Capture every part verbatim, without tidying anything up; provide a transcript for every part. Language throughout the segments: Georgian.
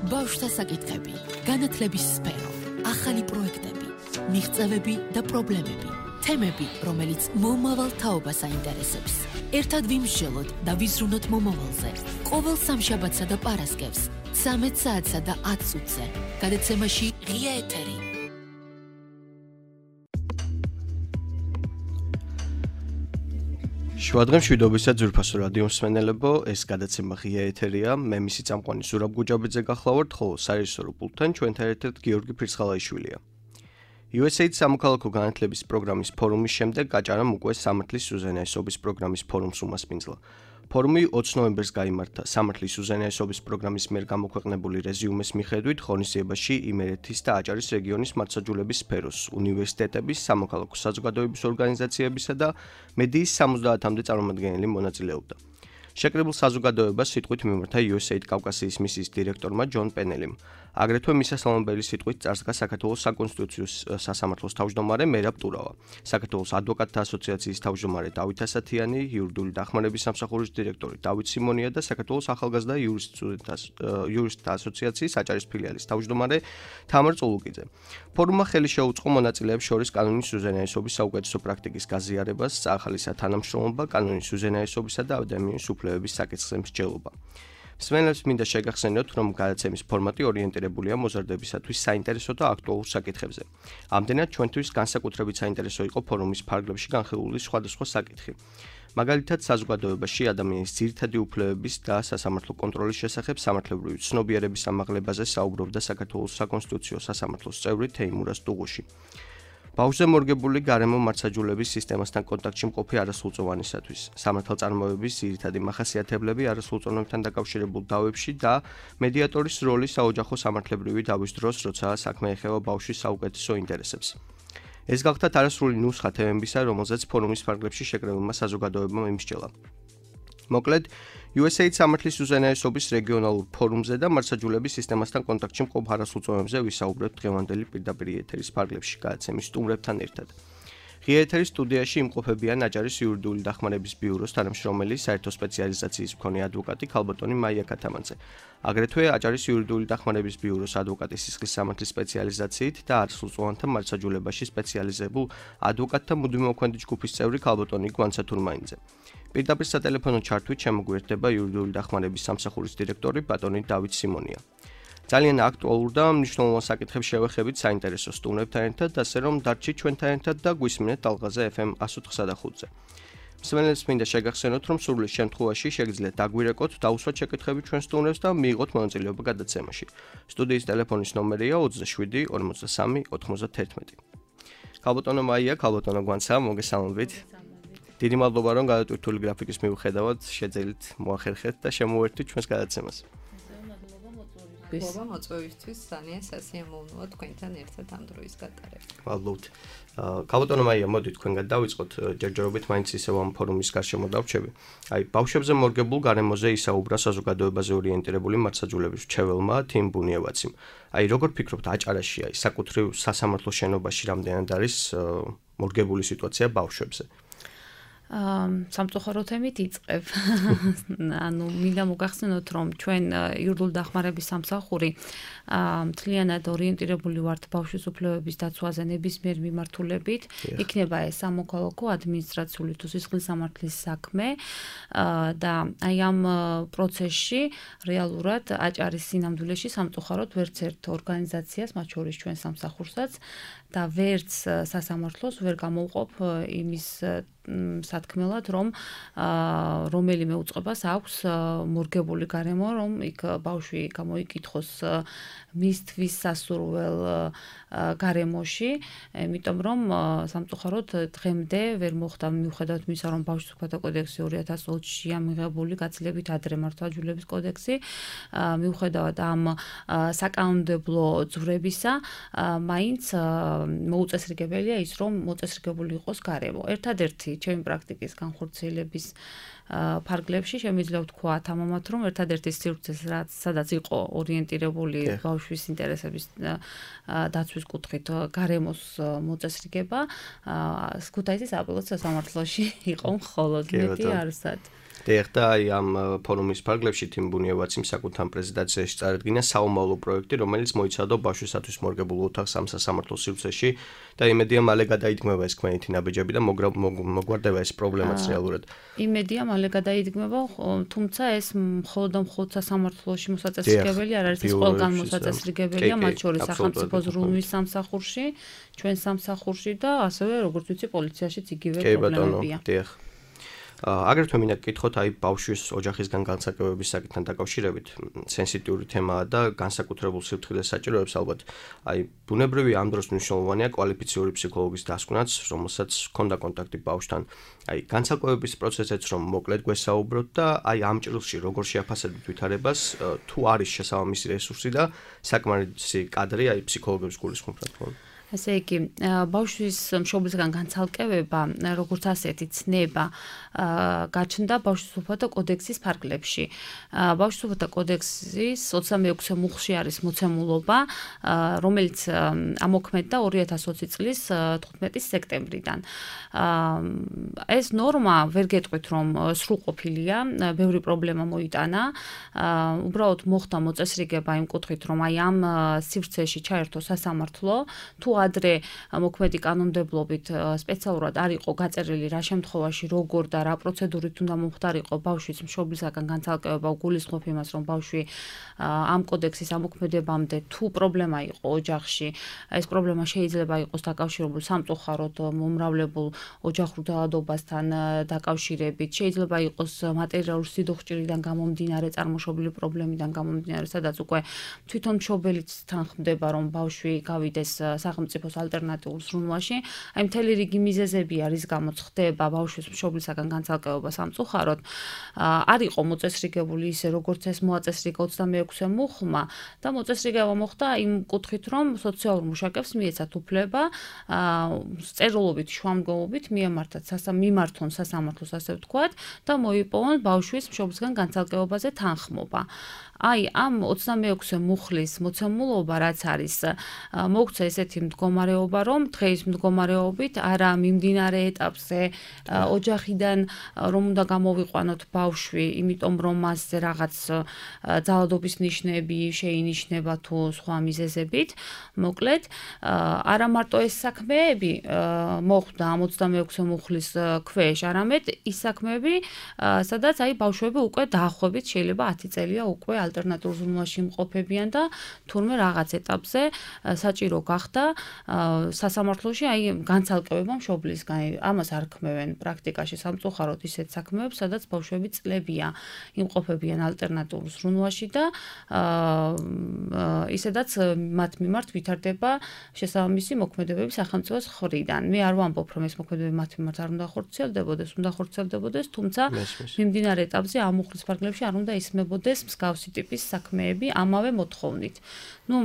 ბავშვთა საკითხები, განათლების სფერო, ახალი პროექტები, მიღწევები და პრობლემები, თემები, რომელიც მომავალ თაობას აინტერესებს. ერთად ვიმსჯელოთ და ვიზრუნოთ მომავალზე. ყოველ სამშაბათსა და პარასკევს, ცამეტ საათსა და ათ წუთზე. გადაცემაში ღია ეთერი. შუადღე მშვიდობისა ძვირფასო რადიო მსმენელებო, ეს გადაცემა ღია ეთერია. მე მისი წამყვანი ზურაბ გუჯაბიძე გახლავართ, ხოლო სარეჟისორო პულტთან ჩვენთან ერთად გიორგი ფირცხალაიშვილია. იუ ეს ეიდ სამოქალაქო განათლების პროგრამის ფორუმის შემდეგ გაჭარამ უკვე სამართლის უზენაესობის პროგრამის ფორუმს უმასპინძლა. ფორუმი ოცი ნოემბერს გაიმართა სამართლის უზენაესობის პროგრამის მიერ გამოქვეყნებული რეზიუმეს მიხედვით ღონისძიებაში იმერეთის და აჭარის რეგიონის მართლმსაჯულების სფეროს, უნივერსიტეტების, სამოქალაქო საზოგადოების ორგანიზაციებისა და მედიის სამოცდაათამდე წარმომადგენელი მონაწილეობდა. შეკრებილ საზოგადოებას სიტყვით მიმართა იუ ეს ეიდ კავკასიის მისიის დირექტორმა ჯონ პენელიმ. აგრეთვე მისასალმებელი სიტყვით წარსდგა საქართველოს საკონსტიტუციო სასამართლოს თავმჯდომარე მერაბ ტურავა, საქართველოს ადვოკატთა ასოციაციის თავმჯდომარე დავით ასათიანი, იურიდიული დახმარების სამსახურის დირექტორი დავით სიმონია და საქართველოს ახალგაზრდა იურისტთა ასოციაციის აჭარის ფილიალის თავმჯდომარე თამარ წულუკიძე. ფორუმმა ხელი შეუწყო მონაწილეებს შორის კანონის უზენაესობის საუკეთესო პრაქტიკის გაზიარებას, ახალისა თანამშრომლობა, კანონის უზენაესობისა და ადამიანის უფლებების საკითხზე მსჯელობა. მსმენელებს მინდა შეგახსენოთ, რომ გადაცემის ფორმატი ორიენტირებულია მოზარდებისათვის საინტერესო და აქტუალურ საკითხებზე. ამდენად ჩვენთვის განსაკუთრებით საინტერესო იყო ფორუმის ფარგლებში განხილული სხვადასხვა საკითხი. მაგალითად, საზოგადოებაში ადამიანის ძირითადი უფლებების და სასამართლო კონტროლის შესახებ სამართლებრივი ცნობიერების ამაღლებაზე საუბრობდა საქართველოს საკონსტიტუციო სასამართლოს წევრი თეიმურაზ ტუღუში. ბავშვზე მორგებული გარემო მართლმსაჯულების სისტემასთან კონტაქტში მყოფი არასრულწლოვანისათვის, სამართალწარმოების ძირითადი მახასიათებლები არასრულწლოვანებთან დაკავშირებულ დავებში და მედიატორის როლი საოჯახო სამართლებრივი დავის დროს, როცა საქმე ეხება ბავშვის საუკეთესო ინტერესებს. ეს გახლდათ არასრული ნუსხა თემებისა, რომელზეც ფორუმის ფარგლებში შეკრებილმა საზოგადოებამ იმსჯელა. მოკლედ, იუ ეს ეიდ სამართლის უზენაესობის რეგიონალურ ფორუმზე და მართლმსაჯულების სისტემასთან კონტაქტში მყოფ არასრულწლოვანებზე ვისაუბრებთ დღევანდელი პირდაპირ ეთერის ფარგლებში გადაცემის სტუმრებთან ერთად. ღია ეთერის სტუდიაში იმყოფებიან აჭარის იურიდიული დახმარების ბიუროს თანამშრომელი, საერთო სპეციალიზაციის მქონე ადვოკატი ქალბატონი მაია ქათამაძე. აგრეთვე აჭარის იურიდიული დახმარების ბიუროს ადვოკატი სისხლის სამართლის სპეციალიზაციით და არასრულწლოვანთა მართლმსაჯულებაში სპეციალიზებულ ადვოკატთა მუდმივმოქმედი ჯგუფის წევრი ქალბატონი გვანცა თურმაინიძე. პირდაპირ სატელეფონო ჩართვით შემოგვიერთდება იურიდიული დახმარების სამსახურის დირექტორი ბატონი დავით სიმონია. ძალიან აქტუალურ და მნიშვნელოვან საკითხებს შევეხებით საინტერესო სტუმრებთან ერთად, ასე რომ დარჩით ჩვენთან ერთად და გვისმინეთ ტალღაზე ეფ ემ εκατს ოთხი და ხუთზე. მსმენელებს მინდა შეგახსენოთ, რომ სურვილის შემთხვევაში შეგიძლიათ დაგვირეკოთ, დაუსვათ შეკითხები ჩვენ სტუმრებს და მიიღოთ მონაწილეობა გადაცემაში. სტუდიის ტელეფონის ნომერია ოცდაშვიდი ორმოცდასამი ოთხმოცდათერთმეტი. ქალბატონო მაია, ქალბატონო გვანცა, მოგესალმებით. დიდი მადლობა, რომ გადატვირთული გრაფიკის მიუხედავად შეძელით მოახერხეთ და შემოვერთვით ჩვენს გადაცემას. მადლობა მოწვევისთვის, ძალიან სასიამოვნოა თქვენთან ერთად ამ დროის გატარება. მადლობთ. ქალბატონო მაია, მოდით თქვენგან დავიწყოთ, ჯერჯერობით მაინც ისევ ამ ფორუმის გარშემო დავრჩები. აი, ბავშვებზე მორგებულ გარემოზე ისაუბრა საზოგადოებაზე ორიენტირებული მართლმსაჯულების მრჩეველმა თიმ ბუნიევაციმ. აი, როგორ ფიქრობთ, აჭარაში აი საკუთრივ სასამართლო შენობაში რამდენად არის მორგებული სიტუაცია ბავშვებზე? სამწუხაროდ ემით იწყებ. ანუ მინდა მოგახსენოთ, რომ ჩვენ იურიდიული დახმარების სამსახური მთლიანად ორიენტირებული ვართ ბავშვის უფლებების დაცვაზე ნებისმიერ მიმართულებით. იქნება ეს სამოქალაქო, ადმინისტრაციული თუ სისხლის სამართლის საქმე და აი ამ პროცესში რეალურად აჭარის სინამდვილეში სამწუხაროდ ვერც ერთ ორგანიზაციას, მათ შორის ჩვენ სამსახურსაც და ვერც სასამართლოს ვერ გამოვყოფ იმის სათქმელად, რომ რომელიმე უწყებას აქვს მორგებული გარემო, რომ იქ ბავშვი გამოიკითხოს მისთვის სასურველ გარემოში, იმიტომ რომ სამწუხაროდ დღემდე ვერ მოხდა მიუხედავად იმისა, რომ ბავშვის უფლებათა კოდექსი ორი ათას ოცშია მიღებული გაცილებით ადრე მართლმსაჯულების კოდექსი, მიუხედავად ამ საკანონმდებლო ძვრებისა, მაინც მოუწესრიგებელია ის, რომ მოწესრიგებული იყოს გარემო. ერთადერთი ჩემი პრაქტიკის განხორციელების ფარგლებში შემიძლია ვთქვა თამამად, რომ ერთადერთი სივრცეს, რაც სადაც იყო ორიენტირებული ბავშვის ინტერესების დაცვის კუთხით გარემოს მოწესრიგება, ქუთაისის აპელაციო სასამართლოში იყო მხოლოდ მეტი არცად. დიახდა, აი ამ ფორუმის ფარგლებში თიმ ბუნიევაციმ საკუთარ პრეზენტაციაში წარადგინა საომავლო პროექტი, რომელიც მოიცავდა ბავშვისათვის მორგებულ ოთახს ამ სასამართლო სივრცეში და იმედია მალე გადაიდგმება ეს ქმედითი ნაბიჯები და მოგვარდება ეს პრობლემაც რეალურად. იმედია მალე გადაიდგმება, თუმცა ეს მხოლოდ და მხოლოდ სასამართლოში მოსაწესრიგებელი არ არის, ეს ყველგან მოსაწესრიგებელია, მათ შორის სახელმწიფო ზრუნვის სამსახურში, ჩვენ სამსახურში და ასევე როგორც ვიცი პოლიციაშიც იგივე პრობლემებია. დიახ. აგრეთვე მინდა გკითხოთ აი ბავშვის ოჯახისგან განცალკევების საკითხთან დაკავშირებით, სენსიტიური თემაა და განსაკუთრებულ სიფრთხილეს საჭიროებს ალბათ. აი ბუნებრივი ამ დროს მნიშვნელოვანია კვალიფიციური ფსიქოლოგის დასკვნაც, რომელსაც ჰქონდა კონტაქტი ბავშვთან. აი განცალკევების პროცესიც რომ მოკლედ გვესაუბროთ და აი ამ ჭრილში როგორ შეაფასებთ ვითარებას, თუ არის შესაბამისი რესურსი და საკმარისი კადრი აი ფსიქოლოგების გულისხმობ რა თქმა უნდა. ასე იგი, ბავშვის მშობლისგან განცალკევება, როგორც ასეთი ცნება, გაჩნდა ბავშვის უფლებათა კოდექსის ფარგლებში. ბავშვის უფლებათა კოდექსის ოცდამეექვსე მუხლში არის მოცემულობა, რომელიც ამოქმედდა ორი ათას ოცი წლის თხუთმეტი სექტემბრიდან. ეს ნორმა ვერ გეტყვით, რომ სრულყოფილია, ბევრი პრობლემა მოიტანა. უბრალოდ მოხდა მოწესრიგება იმ კუთხით, რომ აი ამ სივრცეში ჩაერთო სასამართლო, თუ ადრე მოქმედი კანონმდებლობით სპეციალურად არ იყო გაწერილი რა შემთხვევაში როგორ და რა პროცედურით უნდა მომხდარიყო ბავშვის მშობლისაგან განცალკევება, გულისხმობ იმას, რომ ბავშვი ამ კოდექსის ამოქმედებამდე თუ პრობლემა იყო ოჯახში, ეს პრობლემა შეიძლება იყოს დაკავშირებული სამწუხაროდ მომრავლებულ ოჯახურ დაავადებასთან დაკავშირებით, შეიძლება იყოს მატერიალური სიდოხჭირიდან გამომდინარე, წარმოშობილი პრობლემიდან გამომდინარე, სადაც უკვე თვითონ მშობელიც თანხმდება, რომ ბავშვი გავიდეს სახელმწიფოს ალტერნატიულ ზრუნვაში. აი მთელი რიგი მიზეზები არის, გამოც ხდება ბავშვის მშობლისაგან განცალკევება სამწუხაროდ. არ იყო მოწესრიგებული ისე, როგორც ეს მოაწესრიგა ოცდამეექვსე მუხლმა და მოწესრიგება მოხდა იმ კუთხით, რომ სოციალურ მუშაკებს მიეცათ უფლება წერილობით, შუამდგომობით მიემართათ მიმართონ სასამართლოს, ასე ვთქვათ, და მოიპოვონ ბავშვის მშობლისგან განცალკევებაზე თანხმობა. აი ამ ოცდამეექვსე მუხლის მოცემულობა რაც არის, მოგცა ესეთი მდგომარეობა, რომ დღეის მდგომარეობით არა მიმდინარე ეტაპზე ოჯახიდან რომ უნდა გამოვიყვანოთ ბავშვი, იმიტომ რომ მასზე რაღაც ძალადობის ნიშნები შეინიშნება თუ სხვა მიზეზებით. მოკლედ, არა მარტო ეს საქმეები მოხდა ამ ოცდამეექვსე მუხლის ქვეშ, არამედ ის საქმეები, სადაც აი ბავშვები უკვე დაახლოებით შეიძლება ათი წელია უკვე ალტერნატიულ ზრუნვაში იმყოფებიან და თურმე რაღაც ეტაპზე საჭირო გახდა სასამართლოში აი განცალკევება მშობლისგან. ამას არ ქმევენ პრაქტიკაში სამწუხაროდ ისეთ საქმეებს, სადაც ბავშვები წლებია იმყოფებიან ალტერნატიულ ზრუნვაში და ისედაც მათ მიმართ ვითარდება შესაბამისი მოქმედებები სახელმწიფოს მხრიდან. მე არ ვამბობ, რომ ეს მოქმედებები მათ მიმართ არ უნდა ხორციელდებოდეს, უნდა ხორციელდებოდეს, თუმცა მიმდინარე ეტაპზე ამ მუხლის ფარგლებში არ უნდა ისმებოდეს მსგავსი ტიპის საქმეები ამავე მოთხოვნით. ნუ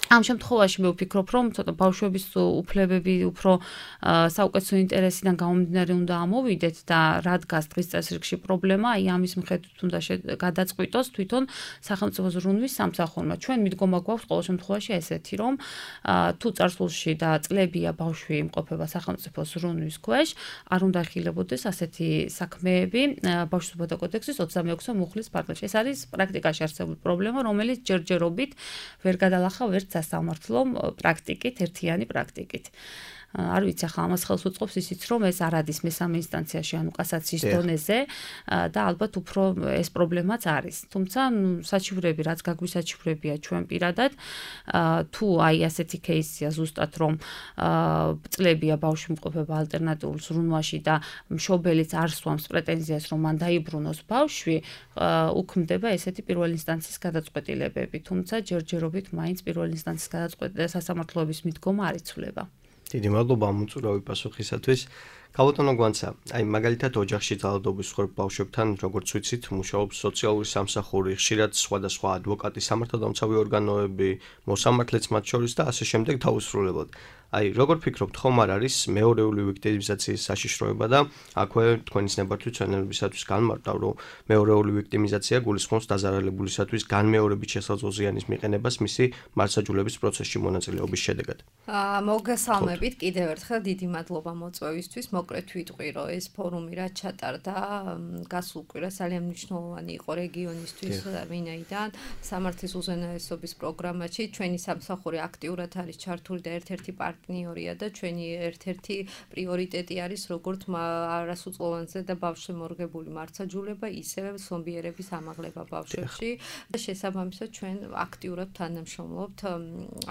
ამ შემთხვევაში მე ვფიქრობ, რომ ცოტა ბავშვების უფლებები უფრო საუკეთესო ინტერესიდან გამომდინარე უნდა ამოვიდეთ და რადგან დღის წესრიგში პრობლემა, აი ამის მიხედვით უნდა გადაწყვიტოს თვითონ სახელმწიფო ზრუნვის სამსახურმა. ჩვენ მიდგომა გვაქვს ყოველ შემთხვევაში ესეთი, რომ თუ წარსულში და წლებია ბავშვი იმყოფება სახელმწიფო ზრუნვის ქვეშ, არ უნდა ხილებოდეს ასეთი საქმეები ბავშვის უფლებათა კოდექსის ოცდამეექვსე მუხლის ფარგლებში. ეს არის პრაქტიკაში არსებული პრობლემა, რომელიც ჯერჯერობით ვერ გადალახა ვერც სასამართლომ პრაქტიკით, ერთიანი პრაქტიკით. არ ვიცი, ახლა ამას ხელს უწყობს ისიც, რომ ეს არ არის მესამე ინსტანციაში, ანუ კასაციის დონეზე და ალბათ უფრო ეს პრობლემაც არის. თუმცა, საჩივრები, რაც გაგვისაჩივრებია ჩვენ პირადად, თუ აი ასეთი кейსია ზუსტად, რომ წლებია ბავშვი იმყოფება ალტერნატიულ ზრუნვაში და მშობელიც არ სვამს პრეტენზიას, რომ მან დაიბრუნოს ბავშვი, უქმდება ესეთი პირველი ინსტანციის გადაწყვეტილებები. თუმცა, ჯერჯერობით მაინც პირველი ინსტანციის გადაწყვეტილება სასამართლოების მიდგომა არ იცვლება. დიდი მადლობა ამ უწურავი პასუხისათვის. ქალბატონო გვანცა, აი მაგალითად ოჯახში ძალადობის მსხვერპლ ბავშვებთან, როგორც ვიცით, მუშაობს სოციალური სამსახური, ხშირად სხვადასხვა ადვოკატი, სამართალდამცავი ორგანოები, მოსამართლეც მათ შორის და ასე შემდეგ დაუსრულებლად. აი, როგორ ფიქრობთ, ხომ არ არის მეორეული ვიქტიმიზაციის საშიშროება და აქვე თქვენი ნებართვით ჩვენებისათვის განმარტავ, რომ მეორეული ვიქტიმიზაცია გულისხმობს დაზარალებულისათვის განმეორებით შესაძლო ზიანის მიყენებას მისი მართლმსაჯულების პროცესში მონაწილეობის შედეგად. აა, მოგესალმებით კიდევ ერთხელ, დიდი მადლობა მოწვევისთვის. მოკლედ ვიტყვი, რომ ეს ფორუმი რაც ჩატარდა, გასულ კვირას ძალიან მნიშვნელოვანი იყო რეგიონისთვის, ვინაიდან სამართლის უზენაესობის პროგრამაში ჩვენი სამსახური აქტიურად არის ჩართული და ერთ-ერთი პარტნიორია და ჩვენი ერთ-ერთი პრიორიტეტი არის როგორც არასრულწლოვანზე და ბავშვშემორგებული მართლმსაჯულება, ისევე ზომბიერების ამაღლება ბავშვებში და შესაბამისად ჩვენ აქტიურად თანამშრომლობთ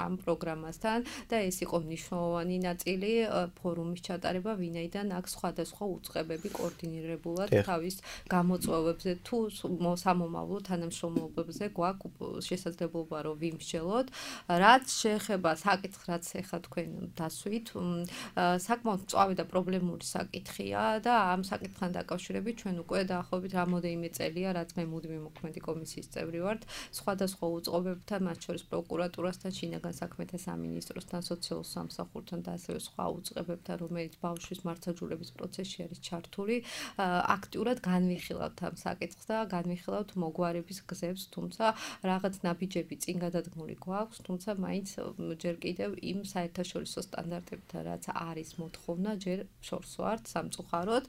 ამ პროგრამასთან და ეს იყო მნიშვნელოვანი ნაწილი ფორუმის ჩატარება, ვინაიდან აქ სხვადასხვა უწყებები კოორდინირებულად თავის გამოწვევებზე თუ სამომავლო თანამშრომლობებზე გვაქვს შესაძლებლობა რომ ვიმსჯელოთ, რაც შეეხება საკითხს, რაც ეხლა თქვენ დასვით, საკმაოდ მწვავე და პრობლემური საკითხია და ამ საკითხთან დაკავშირებით ჩვენ უკვე დაახლოებით რამოდენიმე წელია, რაც მე მუდმივი მოქმედი კომისიის წევრი ვარ, სხვადასხვა უწყობებთან, მათ შორის პროკურატურასთან, შინაგან საქმეთა სამინისტროსთან, სოციალურ სამსახურთან და ასევე სხვა უწყებებთან, რომელიც ბავშვის მართლმსაჯულების პროცესში არის ჩართული, აქტიურად განვიხილავთ ამ საკითხს და განვიხილავთ მოგვარების გზებს, თუმცა რაღაც ნაბიჯები წინ გადადგმული გვაქვს, თუმცა მაინც ჯერ კიდევ იმ საერთაშორისო სტანდარტებთან, რაც არის მოთხოვნა, ჯერ შორს ვართ სამწუხაროდ.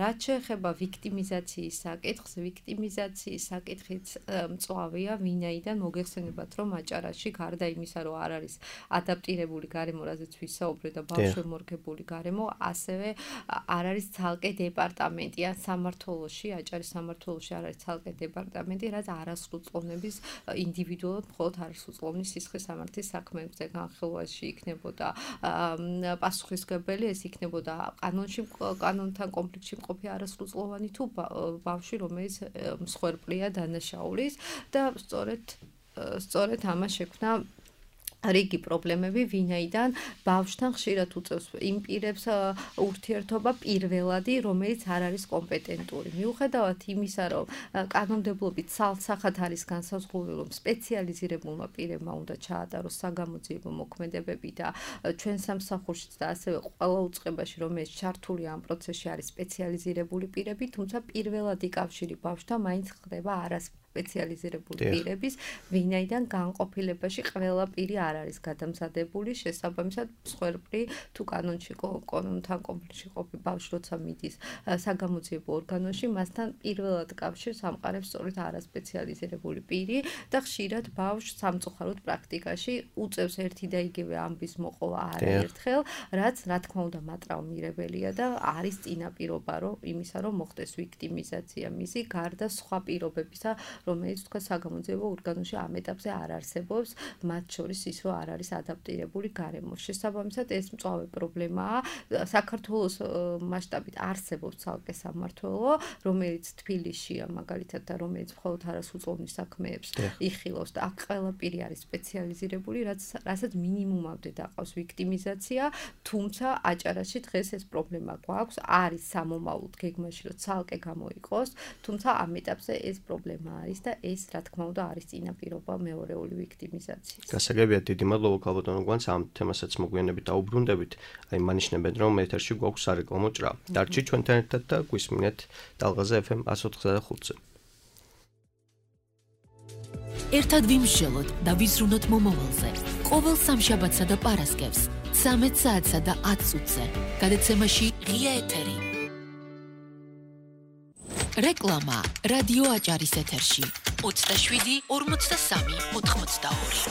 რაც შეეხება ვიქტიმიზაციის საკითხს, ვიქტიმიზაციის საკითხიც მწვავეა, ვინაიდან მოგეხსენებათ, რომ აჭარაში გარდა იმისა, რომ არ არის ადაპტირებული გარემო, რაზეც ვისაუბრეთ და ბავშვშემორგებული გარემო, ასევე არ არის ცალკე დეპარტამენტი ან სამმართველოში, აჭარის სამმართველოში არ არის ცალკე დეპარტამენტი, რაც არასრულწლოვნების ინდივიდუალურად მხოლოდ არასრულწლოვნის სისხლის სამართლის საქმეებზე განხილვაში იქნებოდა პასუხისმგებელი, ეს იქნებოდა კანონში კანონთან კონფლიქტში მყოფი არასრულწლოვანი თუ ბავშვი, რომელიც მსხვერპლია დანაშაულის და სწორედ სწორედ ამას შექმნა რიგი პრობლემები, ვინაიდან ბავშვთან ხშირად უწევს იმ პირებს ურთიერთობა პირველადი, რომელიც არ არის კომპეტენტური. მიუხედავად იმისა, რომ კანონმდებლობით სალსახად არის განსაზღვრული, რომ სპეციალიზირებულმა პირებმა უნდა ჩაატაროს საგამოძიებო მოქმედებები და ჩვენ სამსახურშიც და ასევე ყველა უწყებაში, რომელიც ჩართულია ამ პროცესში არის სპეციალიზირებული პირები, თუმცა პირველადი კავშირი ბავშვთან მაინც ხდება არას სპეციალიზირებული პირების, ვინაიდან განყოფილებაში ყველა პირი არ არის გადამზადებული, შესაბამისად მსხვერპლი თუ კანონში კანონთან კონფლიქტში ყოფი ბავშვი როცა მიდის საგამოძიებო ორგანოში, მასთან პირველად კავშირს ამყარებს სწორედ არასპეციალიზირებული პირი და ხშირად ბავშვს სამწუხაროდ პრაქტიკაში უწევს ერთი და იგივე ამბის მოყოლა არაერთხელ, რაც რა თქმა უნდა მატრაუმირებელია და არის წინაპირობა რომ იმისა, რომ მოხდეს ვიქტიმიზაცია მისი გარდა სხვა პირობებისა, რომელიც თქვა საგამოძიებო ორგანოში ამ ეტაპზე არ არსებობს, მათ შორის ის რომ არ არის ადაპტირებული გარემო. შესაბამისად ეს მწვავე პრობლემაა. საქართველოს მასშტაბით არსებობს ცალკე სამმართველო, რომელიც თბილისშია მაგალითად და რომელიც მხოლოდ არასრულწლოვნის საქმეებს იხილავს და აქ ყველა პირი არის სპეციალიზირებული, რაც რასაც მინიმუმამდე დაყავს ვიქტიმიზაცია, თუმცა აჭარაში დღეს ეს პრობლემა გვაქვს, არის სამომავლოდ გეგმაში რომ ცალკე გამოიყოს, თუმცა ამ ეტაპზე ეს პრობლემა არის და ეს რა თქმა უნდა არის წინაპირობა მეორეული ვიქტიმიზაციის. გასაგებია, დიდი მადლობა ქალბატონო გვანს ამ თემასაც მოგვიანებით დაუბრუნდებით. აი მანიშნებენ რომ ეთერში გვაქვს სარეკლამო ჭრა. დარჩით ჩვენთან ერთად და გვისმინეთ ტალღაზე ეფ ემ one ninety-five ზე. ერთად ვიმსჯელოთ და ვიზრუნოთ მომავალზე. ყოველ სამშაბათსა და პარასკევს ცამეტ საათსა და ათს წუთზე. გადაცემაში ღია ეთერი. რეკლამა რადიო აჭარის ეთერში ოცდაშვიდი ორმოცდასამი ოთხმოცდაორი.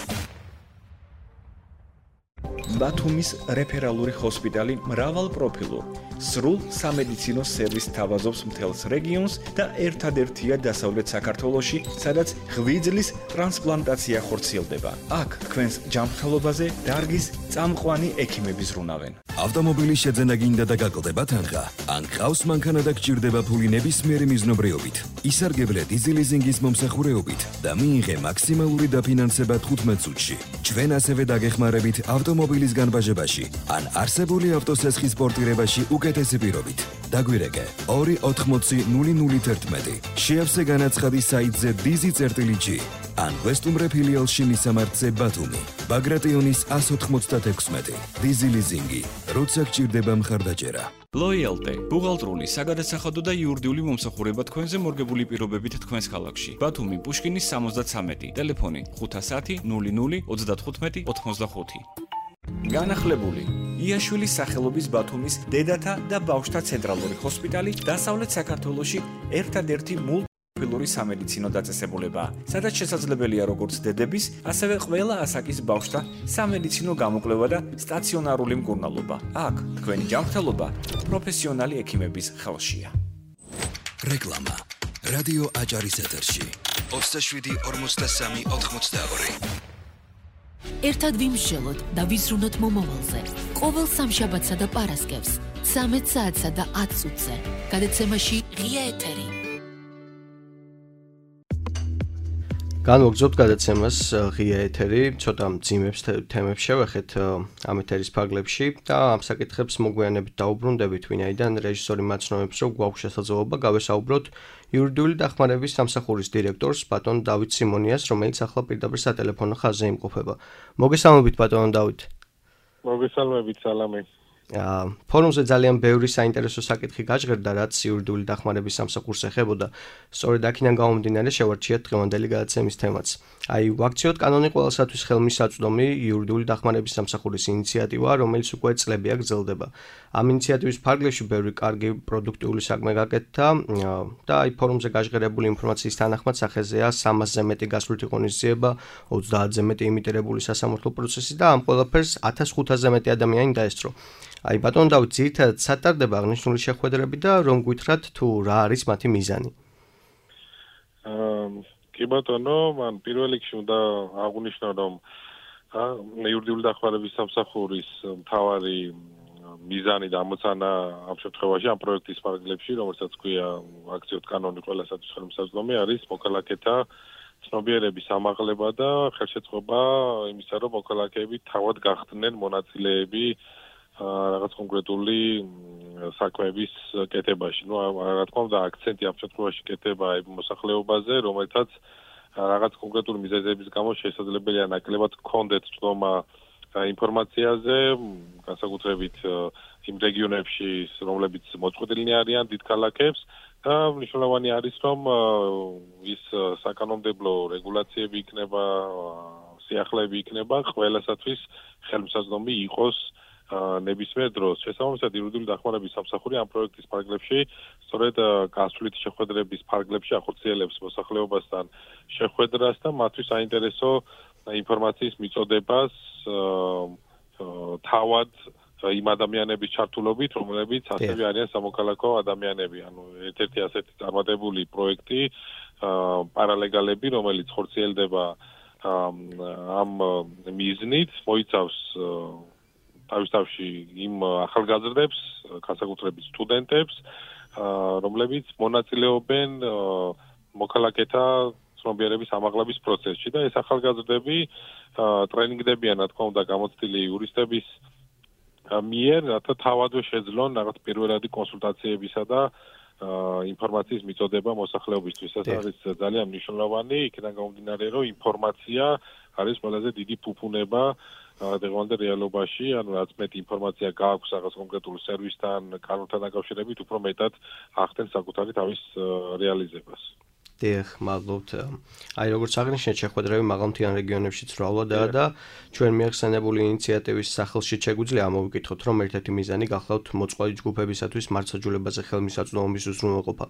ბათუმის რეფერალური ჰოსპიტალი მრავალპროფილურ სრულ სამედიცინო სერვისს თავაზობს მთელს რეგიონს და ერთადერთია დასავლეთ საქართველოში, სადაც ღვიძლის ტრანსპლანტაცია ხორციელდება. აქ თქვენს ჯანმრთელობაზე დარგის წამყვანი ექიმები ზრუნავენ. ავტომობილის შეძენა გინდა და გაკლდება თანხა, ან ყავს მანქანა და გჭირდება ფული ნებისმიერი მიზნობრიობით. ისარგებლე დიზელიზინგის მომსახურეობით და მიიღე მაქსიმალური დაფინანსება თხუთმეტ წუთში. ჩვენ ასევე დაგეხმარებით ავტომობილის განბაჟებაში, ან არსებული ავტოსესხის პორტირებაში უკეთესი პირობით. დაგვირეკე ორი ოთხმოცი ნული ნული თერთმეტი. შეავსე განაცხადი საიტზე დიზი წერტილი ან ვესტუმრე ფილიალში მისამართზე ბათუმი. ბაგრატიონის one ninety-six. დიზი ლიზინგი. როცა გჭირდება მხარდაჭერა. Loyalty, ბუღალტრული, საგადასახადო და იურიდიული მომსახურება თქვენზე მორგებული პირობებით თქვენს ქალაქში. ბათუმი, პუშკინის სამოცდათვრამეტი, ტელეფონი ხუთასათი ნული ნული ოცდათხუთმეტი ოთხმოცდახუთი. განახლებული იაშვილის სახელობის ბათუმის დედათა და ბავშვთა ცენტრალური ჰოსპიტალი დასავლეთ საქართველოში ერთადერთი მულტიპროფილური სამედიცინო დაწესებულებაა, სადაც შესაძლებელია როგორც დედების, ასევე ყველა ასაკის ბავშვთა სამედიცინო გამოკვლევა და სტაციონარული მკურნალობა. აქ თქვენი ჯანმრთელობა პროფესიონალი ექიმების ხელშია. რეკლამა რადიო აჭარის ეთერში ოცდაშვიდი ორმოცდასამი ოთხმოცდაორი. ერთად ვიმსჯელოთ და ვიზრუნოთ მომავალზე. ყოველ სამშაბათსა და პარასკევს ცამეტ საათსა და ათ წუთზე. გადაცემაში ღია ეთერი. განვაგრძობთ გადაცემას ღია ეთერი, ცოტა მძიმებს თემებს შევეხეთ ამ ეთერის ფარგლებში და ამ საკითხებს მოგვიანებით დაუბრუნდებით, ვინაიდან რეჟისორი მაცნობებს, რომ გვაქვს შესაძლებლობა გავესაუბროთ იურიდიული დახმარების სამსახურის დირექტორს ბატონ დავით სიმონიას, რომელიც ახლა პირდაპირ სატელეფონო ხაზზე იმყოფება. მოგესალმებით ბატონ დავით. მოგესალმებით, სალამი. ფორუმზე ძალიან ბევრი საინტერესო საკითხი გაჟღერდა, რაც იურიდიული დახმარების სამსახურს ეხებოდა. სწორედ აქედან გამომდინარე შევარჩიეთ დღევანდელი გადაცემის თემაც. აი, ვაქციოთ კანონი ყველასათვის ხელმისაწვდომი იურიდიული დახმარების სამსახურის ინიციატივა, რომელიც უკვე წლებია გრძელდება. ამ ინიციატივის ფარგლებში ბევრი კარგი პროდუქტიული საქმე გაკეთდა და აი ფორუმზე გაჟღერებული ინფორმაციის თანახმად სახეზეა სამასზე მეტი გასვლითი ღონისძიება, ოცდაათზე მეტი იმიტირებული სასამართლო პროცესი და ამ ყველაფერს ათას ხუთასზე მეტი ადამიანი დაესწრო. აი ბატონ დავით, ძირითადად სატარდება აღნიშნული შეხვედრები და რომ გვითხრათ თუ რა არის მათი მიზანი? აა კი ბატონო, მან პირველ რიგში უნდა აღვნიშნო, რომ იურიდიული დახმარების სამსახურის მთავარი მიზანი და ამოცანა ამ შემთხვევაში ამ პროექტის ფარგლებში, რომელსაც ქვია ვაქციოთ კანონი ყველასათვის ხელმისაწვდომი, არის მოქალაქეთა ცნობიერების ამაღლება და ხელშეწყობა იმისა, რომ მოქალაქეები თავად გახდნენ მონაწილეები რაღაც კონკრეტული საქმეების კეთებაში. ნუ რა თქმა უნდა, აქცენტი ამ შემთხვევაში კეთება იმ მოსახლეობაზე, რომელთაც რაღაც კონკრეტული მიზეზების გამო შესაძლებელია ნაკლებად გქონდეთ წვდომა ინფორმაციაზე, განსაკუთრებით იმ რეგიონებში, რომლებიც მოწყვეტილნი არიან დიდ ქალაქებს და მნიშვნელოვანი არის, რომ ის საკანონმდებლო რეგულაციები იქნება, სიახლეები იქნება ყველასათვის ხელმისაწვდომი იყოს ნებისმიერ დროს. შესაბამისად, იურიდიული დახმარების სამსახური ამ პროექტის ფარგლებში სწორედ გასვლითი შეხვედრების ფარგლებში ახორციელებს მოსახლეობასთან შეხვედრას და მათთვის საინტერესო ინფორმაციის მიწოდებას თავად იმ ადამიანების ჩართულობით, რომლებიც ასევე არიან სამოქალაქო ადამიანები. ანუ ერთ-ერთი ასეთი წარმატებული პროექტი პარალეგალები, რომელიც ხორციელდება ამ მიზნით, მოიცავს თავის თავში იმ ახალგაზრდებს, განსაკუთრებით სტუდენტებს, რომლებიც მონაწილეობენ მოქალაქეთა ცნობიერების ამაღლების პროცესში და ეს ახალგაზრდები ტრენინგდებიან, რა თქმა უნდა, გამოცდილი იურისტების მიერ, რათა თავადვე შეძლონ რაღაც პირველადი კონსულტაციებისა და ინფორმაციის მიწოდება მოსახლეობისთვის. ეს არის ძალიან მნიშვნელოვანი, იქიდან გამომდინარე, რომ ინფორმაცია არის ყველაზე დიდი ფუფუნება დღევანდელ რეალობაში, ანუ რაც მეტი ინფორმაცია გააქვს რაღაც კონკრეტულ სერვისთან, კანონთან დაკავშირებით, უფრო მეტად ახდენს საკუთარი თავის რეალიზებას. დიახ, მადლობთ. აი როგორც აღნიშნეთ, შეხვედრები მაღალმთიან რეგიონებშიც მრავლადაა და ჩვენ მიახსენებული ინიციატივის სახელში შეგვიძლია ამოვიკითხოთ, რომ ერთ-ერთი მიზანი გახლავთ მოწყვლადი ჯგუფებისათვის მართლმსაჯულებაზე ხელმისაწვდომობის უზრუნველყოფა.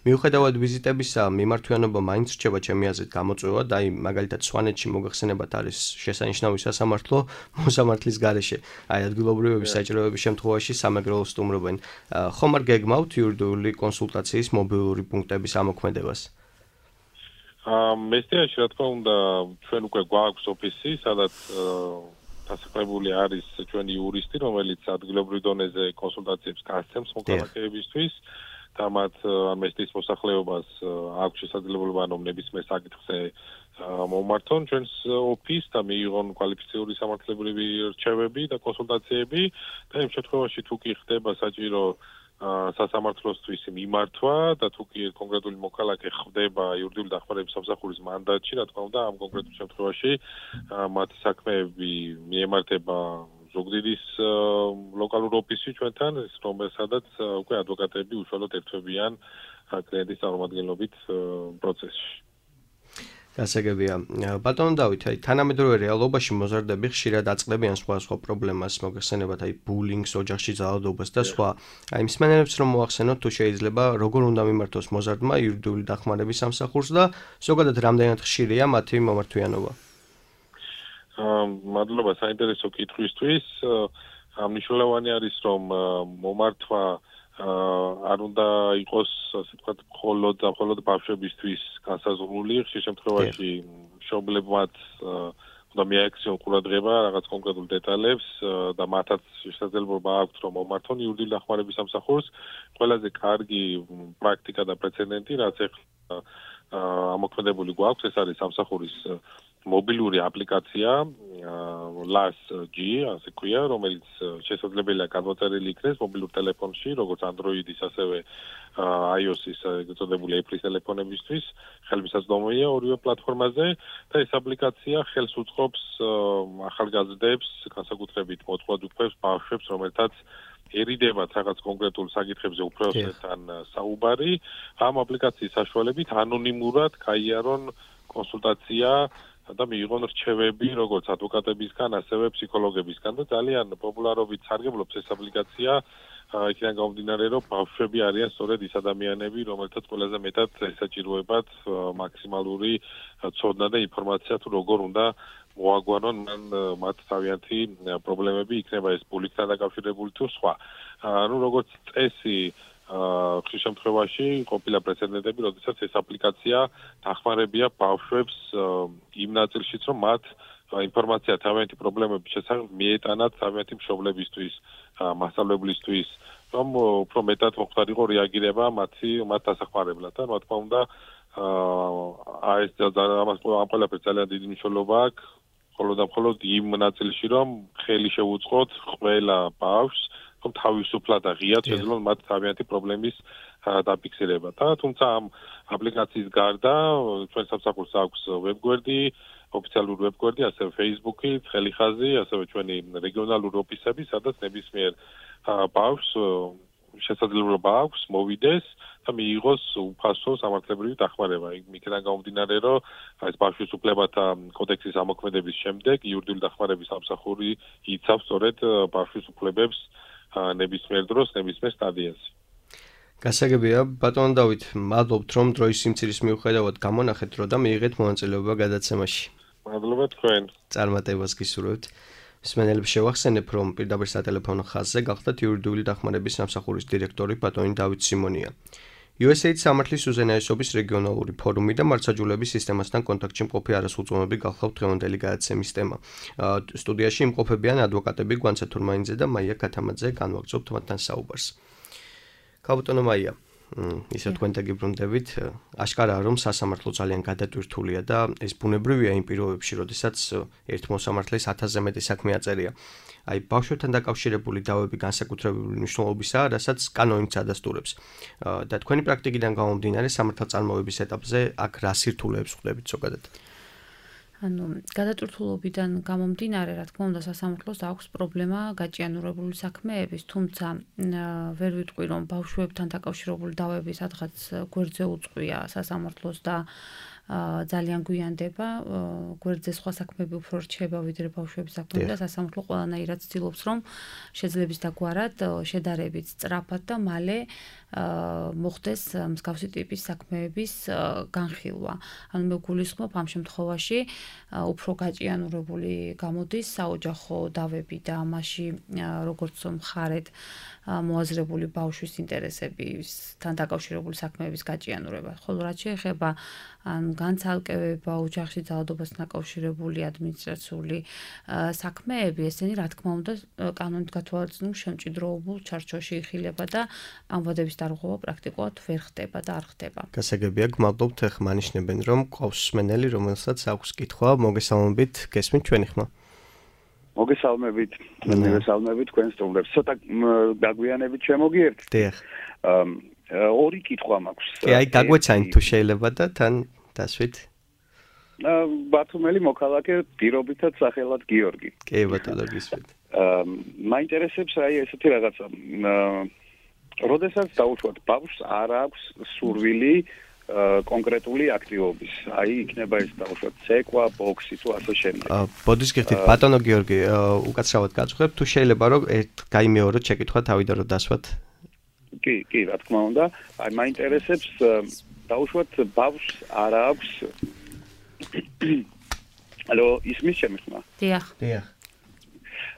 მიუხედავად ვიზიტებისა, მიმართვიანობა მაინც რჩება ჩემი აზრით გამოწვევა და აი მაგალითად სვანეთში მოგახსენებათ არის შესანიშნავი სასამართლო მოსამართლის გარეშე. აი ადგილობრივების საჭიროების შემთხვევაში სამეგრელოს სტუმრობენ. ხომ არ გეგმავთ იურიდიული კონსულტაციის მობილური პუნქტების ამოქმედებას? მესტიაში, რა თქმა უნდა, ჩვენ უკვე გვაქვს ოფისი, სადაც დასაქმებული არის ჩვენი იურისტი, რომელიც ადგილობრივ დონეზე კონსულტაციებს გასცემს მოქალაქეებისთვის და მათ მესტის მოსახლეობას აქვს შესაძლებლობა რომ ნებისმიერ საკითხზე მომართონ ჩვენს ოფისს და მიიღონ კვალიფიციური სამართლებრივი რჩევები და კონსულტაციები და იმ შემთხვევაში თუ კი ხდება საჭირო სასამართლოსთვის მიმართვა და თუ კი კონკრეტული მოქალაქე ხდება იურიდიული დახმარების სამსახურის მანდატში, რა თქმა უნდა, ამ კონკრეტულ შემთხვევაში მათი საქმეები მიემართება ზუგდიდის ლოკალურ ოფისში ჩვენთან, რომელსაც უკვე ადვოკატები უშუალოდ ერთვებიან კლიენტის წარმომადგენლობით პროცესში. გასაგებია. ბატონო დავით, აი თანამედროვე რეალობაში მოზარდები ხშირად აწყდებიან სხვადასხვა პრობლემას, მოგეხსენებათ აი ბულინგს, ოჯახში ძალადობას და სხვა. აი მსმენელებს რომ მოახსენოთ თუ შეიძლება როგორ უნდა მიმართოს მოზარდმა იურიდიული დახმარების სამსახურს და ზოგადად რამდენად ხშირია მათი მომართვიანობა. აა მადლობა საინტერესო კითხვისთვის. მნიშვნელოვანი არის რომ მომართვა არ უნდა იყოს ასე ვთქვათ მხოლოდ და მხოლოდ ბავშვებისთვის განსაზღვრული, ხშირ შემთხვევაში მშობლებმაც უნდა მიაქციონ ყურადღება რაღაც კონკრეტულ დეტალებს და მათაც შესაძლებლობა აქვთ რომ მომართონ იურიდიული დახმარების სამსახურს. ყველაზე კარგი პრაქტიკა და პრეცედენტი, რაც ახლა ამოქმედებული გვაქვს, ეს არის სამსახურის მობილური აპლიკაცია ლას ჯი, ასე ქვია, რომელიც შესაძლებელია გადმოწერილი იქნეს მობილურ ტელეფონში, როგორც Android-ის, ასევე iOS-ის, ეგრეთ წოდებული Apple-ის ტელეფონებისთვის, ხელმისაწვდომია ორივე პლატფორმაზე და ეს აპლიკაცია ხელს უწყობს ახალგაზრდებს, განსაკუთრებით მოწყვლად უქმებს ბავშვებს, რომელთაც ერიდებათ რაღაც კონკრეტულ საკითხებზე უფროსთან საუბარი, ამ აპლიკაციის საშუალებით ანონიმურად გაიარონ კონსულტაცია და მიიღონ რჩევები როგორც ადვოკატებისგან, ასევე ფსიქოლოგებისგან და ძალიან პოპულარობით სარგებლობს ეს აპლიკაცია იქიდან გამომდინარე, რომ ბავშვები არიან სწორედ ის ადამიანები, რომელთაც ყველაზე მეტად ესაჭიროებათ მაქსიმალური ცოდნა და ინფორმაცია თუ როგორ უნდა მოაგვარონ მან მათ თავიანთი პრობლემები, იქნება ეს ბულინგთან დაკავშირებული თუ სხვა. ანუ როგორც წესი ხშირ შემთხვევაში ყოფილა პრეცედენტები, როდესაც ეს აპლიკაცია დახმარებია ბავშვებს იმ ნაწილშიც, რომ მათ ინფორმაცია თავიანთი პრობლემების შესახებ მიეტანათ თავიანთი მშობლებისთვის, მასწავლებლისთვის, რომ უფრო მეტად მოხდარიყო რეაგირება მათი მათ დასახმარებლად. და რა თქმა უნდა, აი ეს ამას ამ ყველაფერს ძალიან დიდი მნიშვნელობა აქვს, მხოლოდ და მხოლოდ იმ ნაწილში, რომ ხელი შეუწყოთ ყველა ბავშვს რომ თავისუფლად და ღიად შეძლონ მათ თავიანთი პრობლემის დაფიქსირება. და თუმცა ამ აპლიკაციის გარდა ჩვენ სამსახურს აქვს ვებგვერდი, ოფიციალური ვებგვერდი, ასევე Facebook-ი, ცხელი ხაზი, ასევე ჩვენი რეგიონალური ოფისები, სადაც ნებისმიერ ბავშვს შესაძლებლობა აქვს მოვიდეს და მიიღოს უფასო სამართლებრივი დახმარება. იქიდან გამომდინარე, რომ ეს ბავშვის უფლებათა კოდექსის ამოქმედების შემდეგ იურიდიული დახმარების სამსახური იცავს სწორედ ბავშვის უფლებებს ნებისმიერ დროს, ნებისმიერ სტადიაში. გასაგებია, ბატონო დავით, მადლობთ რომ დროის სიმცირის მიუხედავად გამონახეთ დრო და მიიღეთ მონაწილეობა გადაცემაში. მადლობა თქვენ. წარმატებას გისურვებთ. მსმენელებს შევახსენებ, რომ პირდაპირ სატელეფონო ხაზზე გახდათ იურიდიული დახმარების სამსახურის დირექტორი ბატონი დავით სიმონია. იუ ეს ეიდ სამართლის უზენაესობის რეგიონალური ფორუმი და მართლმსაჯულების სისტემასთან კონტაქტში მყოფი არასრულწლოვანები გახლავთ დღევანდელი გადაცემის თემა. სტუდიაში იმყოფებიან ადვოკატები გვანცა თურმაინიძე და მაია ქათამაძე, განვაგრძობთ მათთან საუბარს. ქაბატონო მაია, ისე თქვენ დაგიბრუნდებით, აშკარაა რომ სასამართლო ძალიან გადატვირთულია და ეს ბუნებრივია იმ პირობებში, როდესაც ერთ მოსამართლეს ათასზე მეტი საქმე აწერია. აი ბავშვებთან დაკავშირებული დავები განსაკუთრებული მნიშვნელობისაა, რასაც კანონიც ადასტურებს. და თქვენი პრაქტიკიდან გამომდინარე სამართალწარმოების ეტაპზე აქ რა სირთულეებს ხვდებით ზოგადად? ანუ გადატვირთულობიდან გამომდინარე, რა თქმა უნდა, სასამართლოს აქვს პრობლემა გაჭიანურებული საქმეების, თუმცა ვერ ვიტყვი, რომ ბავშვებთან დაკავშირებული დავები სადღაც გვერდზე უწყვია სასამართლოს და ძალიან გვიანდება, გვერდზე სხვა საქმეები უფრო რჩება ვიდრე ბავშვების საქმეები და სასამართლო ყველანაირად ცდილობს, რომ შეძლების დაგვარად შედარებით სწრაფად და მალე მოხდეს მსგავსი ტიპის საქმეების განხილვა. ანუ მე გულისხმობ ამ შემთხვევაში უფრო გაჭიანურებული გამოდის საოჯახო დავები და ამაში როგორც მხარეთ მოაზრებული ბავშვის ინტერესებისთან დაკავშირებული საქმეების გაჭიანურება. ხოლო რაც შეეხება ან განცალკევება ოჯახში ძალადობასთან დაკავშირებული ადმინისტრაციული საქმეები, ესენი რა თქმა უნდა კანონით გათვალისწინებულ შემჭიდროებულ ჩარჩოში იხილება და ამ ვადების დარღვევა პრაქტიკულად ვერ ხდება და არ ხდება. გასაგებია, გმადლობთ, ეხლა ანიშნებენ, რომ ყავს მსმენელი, რომელსაც აქვს კითხვა, მოგესალმებით, გესმით ჩვენი ხმა. მოგესალმებით, მოგესალმებით თქვენ სტუმრებს. ცოტა გაგვიანებით შემოგიერთთ? დიახ. ორი კითხვა მაქვს. კი, აი გაგვეცანით თუ შეიძლება და თან დასვით. ბათუმელი მოქალაქე პირობითად სახელად გიორგი. კი, ბატონო გისვით. მაინტერესებს აი ესეთი რაღაცა. როდესაც დაუშვათ ბავშვს არ აქვს სურვილი კონკრეტული აქტივობის. აი იქნება ეს დაუშვათ ცეკვა, ბოქსი თუ ასე შემდეგ. ბოდის გიხდით ბატონო გიორგი, უკაცრავად გაწუხებ, თუ შეიძლება რომ ერთ გაიმეოროთ შეკითხვა თავიდან რომ დასვათ. კი, კი, რა თქმა უნდა. აი მაინტერესებს დაუშვათ ბავშვს არ აქვს ალო, ისმის ჩემი ხმა? დიახ. დიახ.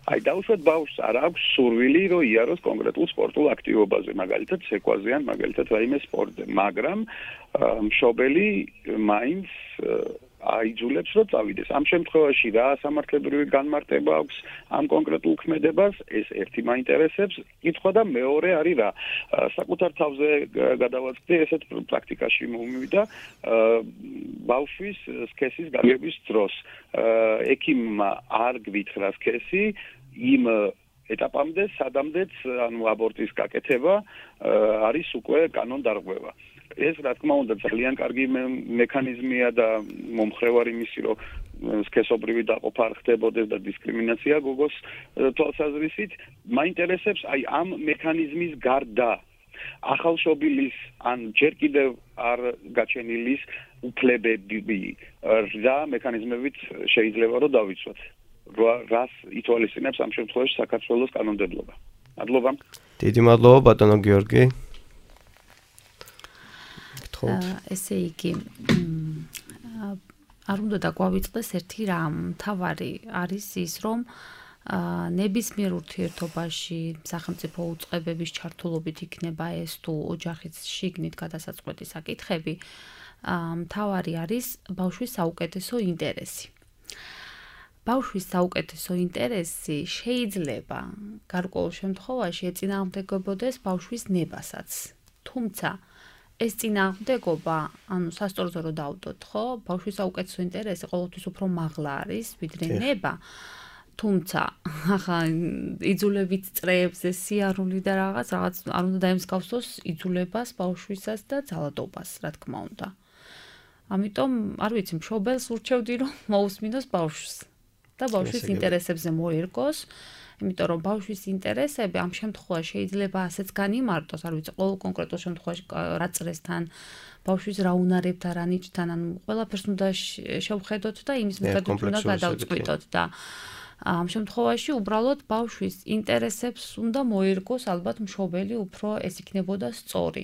აი დაუშვათ ბავშვს არ აქვს სურვილი რომ იაროს კონკრეტულ სპორტულ აქტივობაზე, მაგალითად ცეკვაზე ან მაგალითად რაიმე სპორტზე, მაგრამ მშობელი მაინც აიძულებს რომ წავიდეს. ამ შემთხვევაში რა სამართლებრივი განმარტება აქვს ამ კონკრეტულ ქმედებას, ეს ერთი მაინტერესებს. კითხვა და მეორე არის რა. საკუთარ თავზე გადავაწყდი, ესეთ პრაქტიკაში მომივიდა ბავშვის სქესის გაგების დროს. ექიმმა არ გვითხრა სქესი იმ ეტაპამდე, სადამდეც ანუ აბორტის გაკეთება არის უკვე კანონდარღვევა. ეს რა თქმა უნდა ძალიან კარგი მექანიზმია და მომხრევარი მისი რომ სქესობრივი დაყოფა არ ხდებოდეს და დისკრიმინაცია გოგოს თვალსაზრისით. მაინტერესებს აი ამ მექანიზმის გარდა ახალშობილის ან ჯერ კიდევ არ გაჩენილის უფლებები რა მექანიზმებით შეიძლება რომ დავიცვათ. რას ითვალისწინებს ამ შემთხვევაში საქართველოს კანონმდებლობა. მადლობა. დიდი მადლობა ბატონო გიორგი. ესე იგი არ უნდა დაგვავიწყდეს ერთი რამ, თავარი არის ის, რომ ნებისმიერ ურთიერთობაში სახელმწიფო უწყებების ჩართულობით იქნება ეს თუ ოჯახის შიგნით გადასაწყვეტი საკითხები, თავარი არის ბავშვის საუკეთესო ინტერესი. ბავშვის საუკეთესო ინტერესი შეიძლება გარკვეულ შემთხვევაში ეწინააღმდეგებოდეს ბავშვის ნებასაც. თუმცა ეს წინააღმდეგობა, ანუ სასწორზე რომ დავდოთ, ხო, ბავშვის საუკეთესო ინტერესი ყოველთვის უფრო მაღლა არის, ვიდრე ნება. თუმცა, ახლა იძულებით წრეებზე სიარული და რაღაც, რაღაც არ უნდა დაემსგავსოს იძულებას ბავშვისას და ძალადობას, რა თქმა უნდა. ამიტომ, არ ვიცი, მშობელს ურჩევდი, რომ მოусმინოს ბავშვს და ბავშვის ინტერესებზე მოერგოს. იმიტომ რომ ბავშვის ინტერესები ამ შემთხვევაში შეიძლება ასეც განიმარტოს, არ ვიცი, ყოველ კონკრეტულ შემთხვევაში რა წრესთან, ბავშვის რა უნარებთან, რა ნიჭთან, ანუ ყველაფერს უნდა შევხედოთ და იმის მიხედვით უნდა გადავწყვიტოთ და ამ შემთხვევაში უბრალოდ ბავშვის ინტერესებს უნდა მოერგოს ალბათ მშობელი უფრო ეს იქნებოდა სწორი.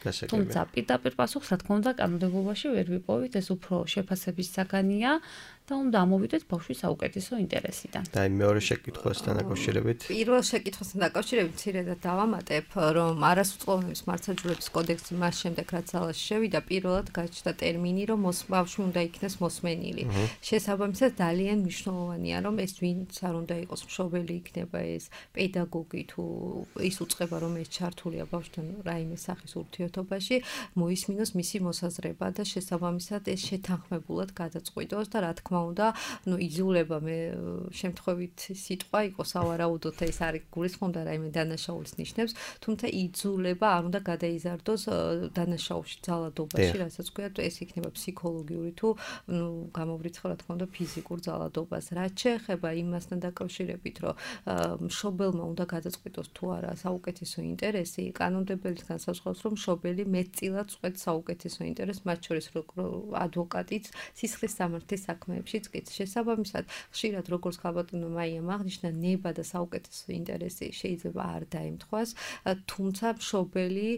თუმცა პირდაპირ პასუხს რა თქმა უნდა კანონმდებლობაში ვერ ვიპოვით, ეს უფრო შეფასების საგანია და უნდა ამოვიდეთ ბავშვის საუკეთესო ინტერესიდან. და აი მეორე შეკითხვასთან დაკავშირებით. პირველ შეკითხვასთან დაკავშირებით ცირედად დავამატებ, რომ არასრულწლოვანების მართლმსაჯულების კოდექსი მას შემდეგ რაც ძალაში შევიდა, პირველად გაჩნდა ტერმინი, რომ ბავშვი უნდა იქნეს მოსმენილი. შესაბამისად ძალიან მნიშვნელოვანია, რომ ეს ვინც არ უნდა იყოს მშობელი, იქნება ეს პედაგოგი თუ ის უწყება, რომელიც ჩართულია ბავშვთან რაიმე სახის ურთიერთობაში, მოისმინოს მისი მოსაზრება და შესაბამისად ეს შეთანხმებულად გადაწყვიტოს და რა თქმა უნდა, ну იძულება მე შემთხვევით სიტყვა იყო სავარაუდოდ ეს არის გულისხმობდა რაიმე დანაშაულის ნიშნებს, თუმცა იძულება არ უნდა გადაიზარდოს დანაშაულში, ძალადობაში, რასაც ქვია, ეს იქნება ფსიქოლოგიური თუ ну გამოვრიცხო რა თქმა უნდა ფიზიკურ ძალადობას. რაც შეეხება იმასთან დაკავშირებით, რომ მშობელმა უნდა გადაწყვიტოს თუ არა საუკეთესო ინტერესი, კანონმდებელი განსაზღვრავს, რომ მშობელი მეტწილად წყვეტს საუკეთესო ინტერესს, მათ შორის ადვოკატიც სისხლის სამართლის საქმეებშიც კი შესაბამისად ხშირად როგორც ხალბატონო მაიამ აღნიშნა, ნება და საუკეთესო ინტერესი შეიძლება არ დაემთხვას, თუმცა მშობელი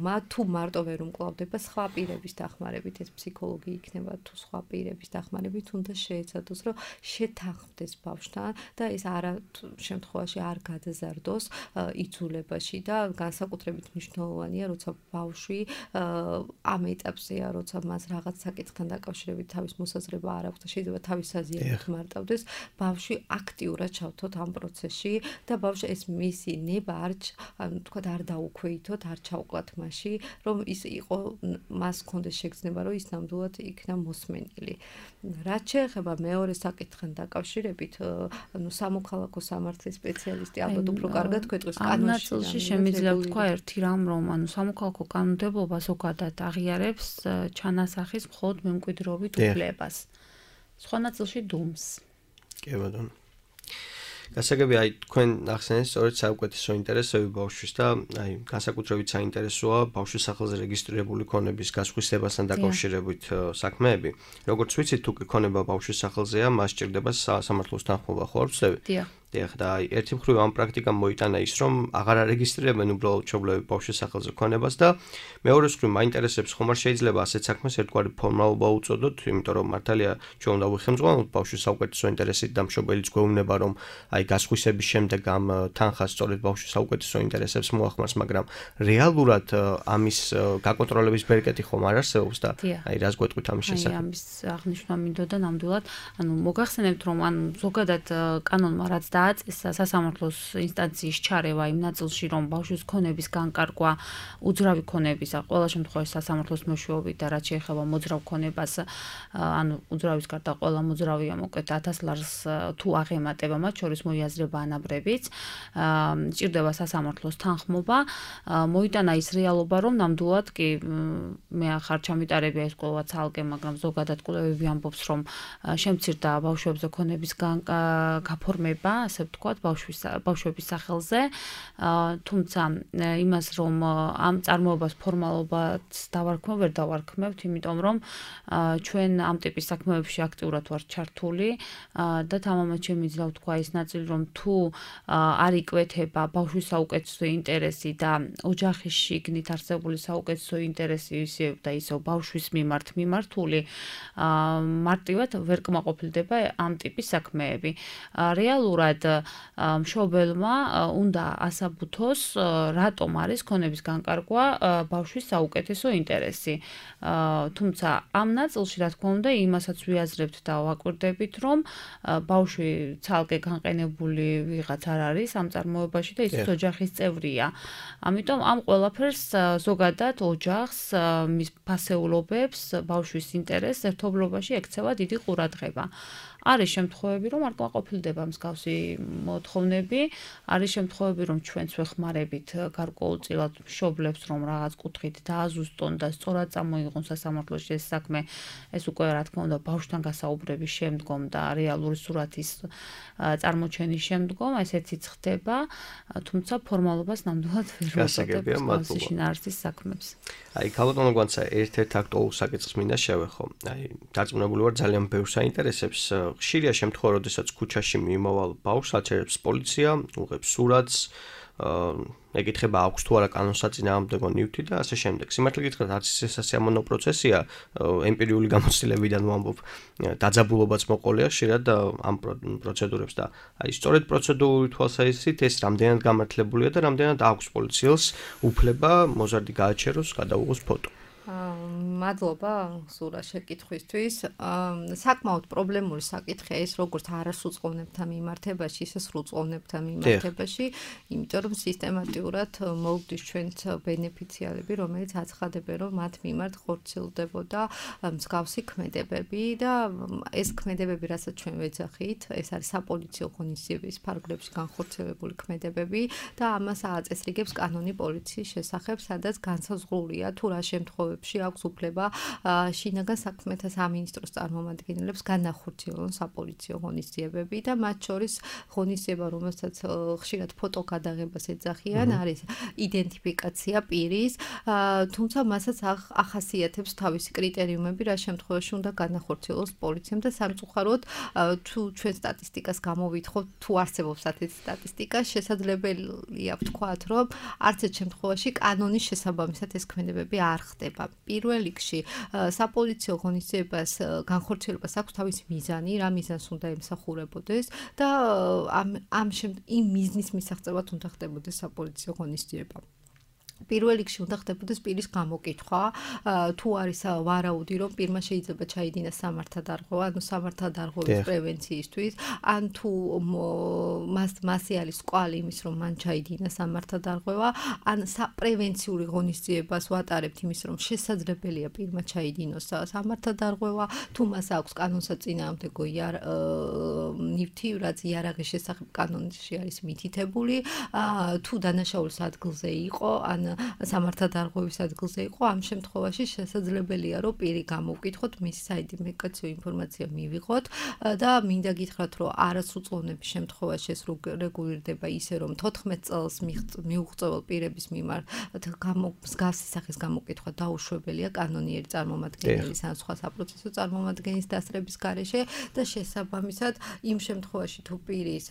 მათ თუ მარტო ვერ უმკლავდება სხვა პირების დახმარებით, ეს ფსიქოლოგი იქნება თუ სხვა პირების დახმარებით, უნდა შეეცადოს, რომ შეთანხმდეს ბავშვთან და ეს არა შემთხვევაში არ გადაზარდოს იძულებაში და განსაკუთრებით მნიშვნელოვანია, როცა ბავშვი ამ ეტაპზეა, როცა მას რაღაც საკითხთან დაკავშირებით თავის მოსაზრება არ აქვს და შეიძლება თავის აზრით მარტავდეს, ბავშვი აქტიურად ჩავთოთ ამ პროცესში და ბავშვი ეს მისი ნება არ ანუ თქვა არ დაუქვეითოთ, არ ჩავკლათ მასში, რომ ის იყო მას კონდეს შეგრძნება, რომ ის ნამდვილად იქნა მოსმენილი. რაც შეეხება მეორე საკითხთან დაკავშირებით, ანუ სამოქალაქო სამართლის სპეციალისტი ალბათ უფრო კარგად გვეტყვის კანონში. ამ ნაწილში შემიძლია ვთქვა ერთი რამ, რომ ანუ სამოქალაქო კანონმდებლობა ზოგადად აღიარებს ჩანასახის მხოლოდ მემკვიდრეობით უფლებას. სხვა ნაწილში დუმს. კი ბატონო. გასაგები აი თქვენ ახსენეთ სწორედ საუკეთესო ინტერესები ბავშვის და აი განსაკუთრებით საინტერესოა ბავშვის სახელზე რეგისტრირებული ქონების გასხვისებასთან დაკავშირებით საქმეები. როგორც ვიცით, თუ კი ქონება ბავშვის სახელზეა, მას სჭირდება სამართლოს თანხმობა, ხო არ ვცდები? დიახ. დიახ, და აი ერთი მხრივ ამ პრაქტიკამ მოიტანა ის, რომ აღარ არეგისტრირებენ უბრალოდ მშობლები ბავშვის სახელზე ქონებას და მეორე მხრივ მაინტერესებს ხომ არ შეიძლება ასეთ საქმეს ერთგვარი ფორმალობა უწოდოთ, იმიტომ რომ მართალია ჩვენ უნდა ვიხელმძღვანელოთ ბავშვის საუკეთესო ინტერესით და მშობელიც გვეუბნება, რომ აი გასხვისების შემდეგ ამ თანხას სწორედ ბავშვის საუკეთესო ინტერესებს მოახმარს, მაგრამ რეალურად ამის გაკონტროლების ბერკეტი ხომ არ არსებობს და აი რას გვეტყვით ამის შესახებ? აი ამის აღნიშვნა მინდოდა ნამდვილად, ანუ მოგახსენებთ, რომ ანუ ზოგადად კანონმა რაც დააწესა სასამართლოს ინსტანციის ჩარევა იმ ნაწილში, რომ ბავშვის ქონების განკარგვა უძრავი ქონების, ყველა შემთხვევაში სასამართლოს მეშვეობით და რაც შეეხება მოძრავ ქონებას, ანუ უძრავის გარდა ყველა მოძრავია მოკლედ ათას ლარს თუ აღემატება, მათ შორის მოიაზრება ანაბრებიც, სჭირდება სასამართლოს თანხმობა, მოიტანა ის რეალობა, რომ ნამდვილად კი მე ახარ ჩამიტარებია ეს კვლევა ცალკე, მაგრამ ზოგადად კვლევები ამბობს, რომ შემცირდა ბავშვებზე ქონების გაფორმება, ასე ვთქვათ, ბავშვის ბავშვების სახელზე, თუმცა იმას, რომ ამ წარმოებას ფორმალობად დავარქმევ, ვერ დავარქმევთ, იმიტომ რომ ჩვენ ამ ტიპის საქმეებში აქტიურად ვართ ჩართული და თამამად შემიძლია ვთქვა ის ნაწილი, რომ თუ არ იკვეთება ბავშვის საუკეთესო ინტერესი და ოჯახის შიგნით არსებული საუკეთესო ინტერესი ისევ და ისევ ბავშვის მიმართ მიმართული, მარტივად ვერ კმაყოფილდება ამ ტიპის საქმეები. რეალურად მშობელმა უნდა ასაბუთოს, რატომ არის ქონების განკარგვა ბავშვის საუკეთესო ინტერესი. თუმცა ამ ნაწილში, რა თქმა უნდა, იმასაც ვიაზრებთ და ვაკვირდებით, რომ ბავშვი ცალკე განყენებული ვიღაც არ არის ამ წარმოებაში და ის ოჯახის წევრია. ამიტომ ამ ყველაფერს ზოგადად ოჯახს, მის ფასეულობებს, ბავშვის ინტერესს ერთობლობაში ექცევა დიდი ყურადღება. არის შემთხვევები, რომ არ კმაყოფილდება მსგავსი მოთხოვნები, არის შემთხვევები, რომ ჩვენც ვეხმარებით გარკვეულწილად მშობლებს, რომ რაღაც კუთხით დააზუსტონ და სწორად წამოიღონ სასამართლოში ეს საქმე, ეს უკვე რა თქმა უნდა ბავშვთან გასაუბრების შემდგომ და რეალური სურათის წარმოჩენის შემდგომ ესეც ხდება, თუმცა ფორმალობას ნამდვილად ვერ ვუწოდებ შინაარსის საქმებს. აი, ქალბატონო გვანცა ერთ-ერთ აქტუალურ საკითხს მინდა შევეხო. აი, დარწმუნებული ვარ ძალიან ბევრს აინტერესებს. ხშირია შემთხვევა, როდესაც ქუჩაში მიმავალ ბავშვს აჩერებს პოლიცია, უღებს სურათს, ეკითხება აქვს თუ არა კანონსაწინააღმდეგო ნივთი და ასე შემდეგ. სიმართლე გითხრათ, არც ეს სასიამოვნო პროცესია, ემპირიული გამოცდილებიდან ვამბობ, დაძაბულობაც მოყოლია ხშირად ამ პროცედურებს და აი სწორედ პროცედურული თვალსაზრისით ეს რამდენად გამართლებულია და რამდენად აქვს პოლიციელს უფლება მოზარდი გააჩეროს, გადაუღოს ფოტო. მადლობა სურა შეკითხვისთვის. საკმაოდ პრობლემური საკითხია ეს როგორც არასრულწლოვანებთან მიმართებაში, ისე სრულწლოვანებთან მიმართებაში, იმიტომ რომ სისტემატურად მოვდის ჩვენც ბენეფიციარები, რომელიც აცხადებენ, რომ მათ მიმართ ხორციელდებოდა მსგავსი ქმედებები და ეს ქმედებები, რასაც ჩვენ ვეძახით, ეს არის საპოლიციო ღონისძიების ფარგლებში განხორციელებული ქმედებები და ამას აწესრიგებს კანონი პოლიციის შესახებ, სადაც განსაზღვრულია თუ რა შემთხვევებში აქვს უფლება შინაგან საქმეთა სამინისტროს წარმომადგენლებს განახორციელონ საპოლიციო ღონისძიებები და მათ შორის ღონისძიება, რომელსაც ხშირად ფოტო გადაღებას ეძახიან, არის იდენტიფიკაცია პირის, თუმცა მასაც ახასიათებს თავისი კრიტერიუმები, რა შემთხვევაში უნდა განახორციელოს პოლიციამ და სამწუხაროდ თუ ჩვენ სტატისტიკას გამოვითხოვთ, თუ არსებობს ასეთი სტატისტიკა, შესაძლებელია ვთქვათ, რომ არც ერთ შემთხვევაში კანონის შესაბამისად ეს ქმედებები არ ხდება. პირველ რიგში საპოლიციო ღონისძიებას განხორციელებას აქვს თავისი მიზანი, რა მიზანს უნდა ემსახურებოდეს და ამ ამ იმ მიზნის მისაღწევად უნდა ხდებოდეს საპოლიციო ღონისძიება. პირველ რიგში უნდა ხდებოდეს პირის გამოკითხვა, თუ არის ვარაუდი, რომ პირმა შეიძლება ჩაიდინას სამართალდარღვევა, ანუ სამართალდარღვევის პრევენციისთვის, ან თუ მას მასე არის კვალი იმის, რომ მან ჩაიდინას სამართალდარღვევა, ან პრევენციული ღონისძიებას ვატარებთ იმის, რომ შესაძლებელია პირმა ჩაიდინოს სამართალდარღვევა, თუ მას აქვს კანონსაწინააღმდეგო ნივთი, რაც იარაღის შესახებ კანონში არის მითითებული, თუ დანაშაულის ადგილზე იყო, ან სამართალდარღვევის ადგილზე იყო, ამ შემთხვევაში შესაძლებელია, რომ პირი გამოვკითხოთ, მისი საიდენტიფიკაციო ინფორმაცია მივიღოთ და მინდა გითხრათ, რომ არასრულწლოვნების შემთხვევაში ეს რეგულირდება ისე, რომ თოთხმეტ წელს მიუღწევალ პირების მიმართ მსგავსი სახის გამოკითხვა დაუშვებელია კანონიერი წარმომადგენლის ან სხვა საპროცესო წარმომადგენლის დასწრების გარეშე და შესაბამისად იმ შემთხვევაში თუ პირის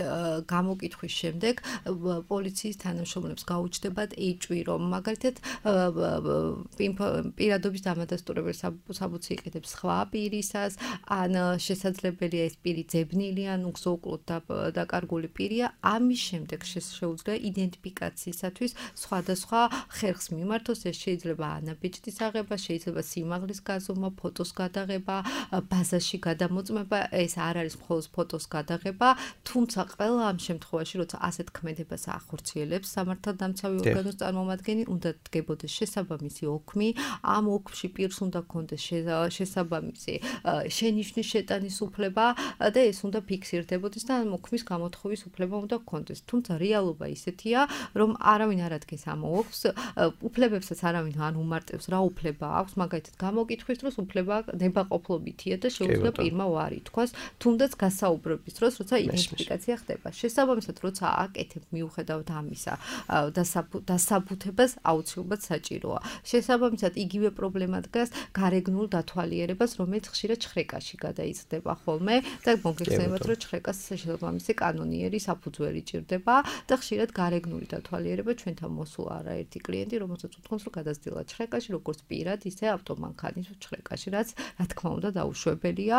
გამოკითხვის შემდეგ პოლიციის თანამშრომლებს გაუჩნდებათ ეჭვი, რომ მაგალითად პირადობის დამადასტურებელი საბუთი იყიდებს სხვა პირისას, ან შესაძლებელია ეს პირი ძებნილი ან უგზო-უკლოდ დაკარგული პირია, ამის შემდეგ შეუძლია იდენტიფიკაციისათვის სხვადასხვა ხერხს მიმართოს, ეს შეიძლება ანაბეჭდის აღება, შეიძლება სიმაღლის გაზომა, ფოტოს გადაღება, ბაზაში გადამოწმება, ეს არ არის მხოლოდ ფოტოს გადაღება, თუმცა ყველა ამ შემთხვევაში, როცა ასეთ ქმედებას ახორციელებს სამართალდამცავი ორგანოს წარმომადგენელი, უნდა დგებოდეს შესაბამისი ოქმი, ამ ოქმში პირს უნდა ქონდეს შესაბამისი შენიშვნის შეტანის უფლება და ეს უნდა ფიქსირდებოდეს და ამ ოქმის გამოთხოვის უფლება უნდა ქონდეს. თუმცა რეალობა ისეთია, რომ არავინ არ ადგენს ამ ოქმს, უფლებებსაც არავინ არ უმარტებს, რა უფლება აქვს, მაგალითად გამოკითხვის დროს უფლება ნებაყოფლობითია და შეუძლია პირმა უარი თქვას, თუნდაც გასაუბრების დროს, როცა იდენტიფიკაცია ხდება. შესაბამისად, როცა აკეთებ მიუხედავად ამისა, დასაბუთებას აუცილებლად საჭიროა. შესაბამისად, იგივე პრობლემა დგას გარეგნულ დათვალიერებას, რომელიც ხშირად ჩხრეკაში გადაიზრდება ხოლმე და მოგეხსენებათ, რომ ჩხრეკას შესაბამისი კანონიერი საფუძველი ჭირდება და ხშირად გარეგნული დათვალიერება ჩვენთან მოსულა არაერთი კლიენტი, რომელსაც უთქვამს, რომ გადასძილა ჩხრეკაში, როგორც პირად, ისე ავტომანქანის ჩხრეკაში, რაც რა თქმა უნდა დაუშვებელია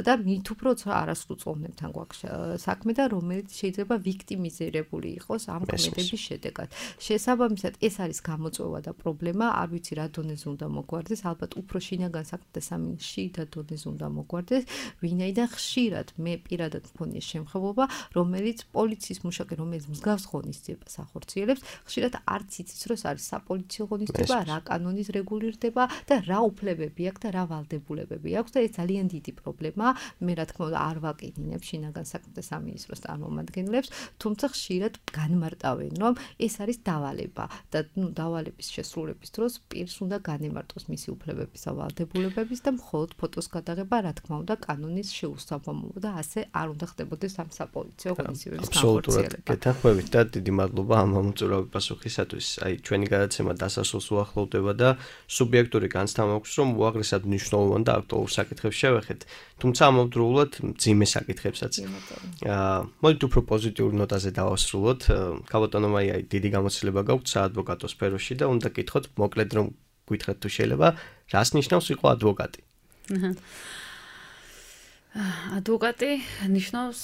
და მით უფრო არასრულწლოვნებთან გვაქვს საქმე და რომელიც შეიძლება ვიქტიმიზირებული იყოს ამ ქმედების შედეგად. შესაბამისად, ეს არის გამოწვევა და პრობლემა, არ ვიცი რა დონეზე უნდა მოგვარდეს, ალბათ უფრო შინაგან საქმეთა სამინისტროში და დონეზე უნდა მოგვარდეს, ვინაიდან ხშირად მე პირადად მქონია შემთხვევა, რომელიც პოლიციის მუშაკი, რომელიც მსგავს ღონისძიებას ახორციელებს, ხშირად არც იცის, რომ არის საპოლიციო ღონისძიება, რა კანონის რეგულირდება და რა უფლებები აქვს და რა ვალდებულებები აქვს და ეს ძალიან დიდი პრობლემაა. მე რა თქმა უნდა არ ვაკინინებ შინაგან საქმეთა სამინისტროს წარმომადგენლებს, თუმცა ხშირად განმარტავენ, რომ ეს არის დავალება და ნუ დავალების შესრულების დროს პირს უნდა განემარტოს მისი უფლებების და ვალდებულებების და მხოლოდ ფოტოს გადაღება, რა თქმა უნდა, კანონის შეუსაბამობა და ასე არ უნდა ხდებოდეს ამ საპოლიციო ღონისძიებების განხორციელება. გეთანხმებით და დიდი მადლობა ამ ამოწურავი პასუხისათვის. აი, ჩვენი გადაცემა დასასრულს უახლოვდება და სუბიექტური განცდა მაქვს, რომ უაღრესად მნიშვნელოვან და აქტუალურ საკითხებს შევეხეთ. თუმცა ამავდროულად მძიმე საკითხებსაც. აა, მოდით უფრო პოზიტიურ ნოტაზე დავასრულოთ. ქალბატონო მაია, დიდი გამოცდილება გაქვთ საადვოკატო სფეროში და უნდა გითხოთ მოკლედ რომ გითხრათ თუ შეიძლება, რას ნიშნავს იყო ადვოკატი? ადვოკატი ნიშნავს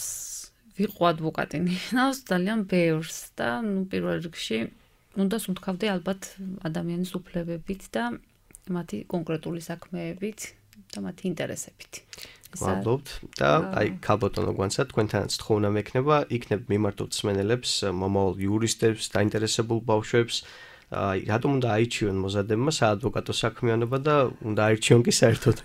ვიყო ადვოკატი ნიშნავს ძალიან ბევრს და ნუ პირველ რიგში უნდა სუნთქავდე ალბათ ადამიანის უფლებებით და მათი კონკრეტული საქმეებით და მათი ინტერესებით. მადლობთ და აი ქალბატონო გვანცად თქვენთანაც თხოვნა მექნება, იქნებ მიმართოთ მსმენელებს, მომავალ იურისტებს, დაინტერესებულ ბავშვებს, აი რატომ უნდა აირჩიონ მოზადებმა საადვოკატო საქმიანობა და უნდა აირჩიონ კი საერთოდ?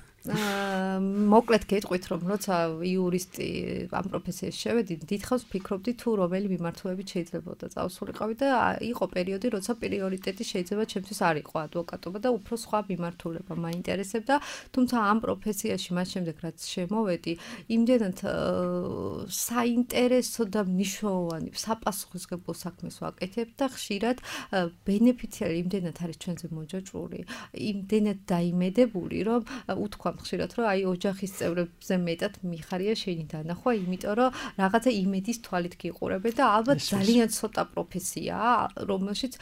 მოკლედ გეტყვით, რომ როცა იურისტი ამ პროფესიაში შევედი, დიდხანს ვფიქრობდი თუ რომელი მიმართულებით შეიძლებოდა წავსულიყავი და იყო პერიოდი, როცა პრიორიტეტი შეიძლება ჩემთვის არ იყო ადვოკატობა და უფრო სხვა მიმართულება მაინტერესებდა, თუმცა ამ პროფესიაში მას შემდეგ რაც შემოვედი, იმდენად საინტერესო და მნიშვნელოვანი საპასუხისმგებლო საქმეს ვაკეთებ და ხშირად ბენეფიციარი იმდენად არის ჩვენზე მოჯაჭვური, იმდენად დაიმედებული, რომ უთქვამ ხშირად, რომ აი ოჯახის წევრებზე მეტად მიხარია შენი დანახვა, იმიტომ რომ რაღაცა იმედის თვალით გიყურებენ და ალბათ ძალიან ცოტა პროფესიაა, რომელშიც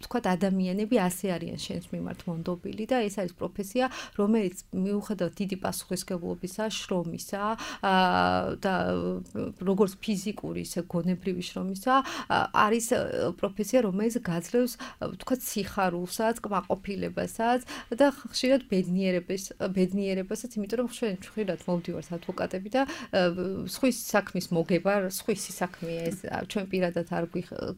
თქვათ ადამიანები ასე არიან შენს მიმართ მონდობილი და ეს არის პროფესია, რომელიც მიუხედავად დიდი პასუხისმგებლობისა, შრომისა და როგორც ფიზიკური, ისე გონებრივი შრომისა, არის პროფესია, რომელიც გაძლევს თქვათ სიხარულსაც, კმაყოფილებასაც და ხშირად ბედნიერებას, ბედნიერებასაც, იმიტომ რომ ჩვენ ხშირად მოვდივართ ადვოკატები და სხვის საქმის მოგება, სხვისი საქმეა ეს, ჩვენ პირადად არ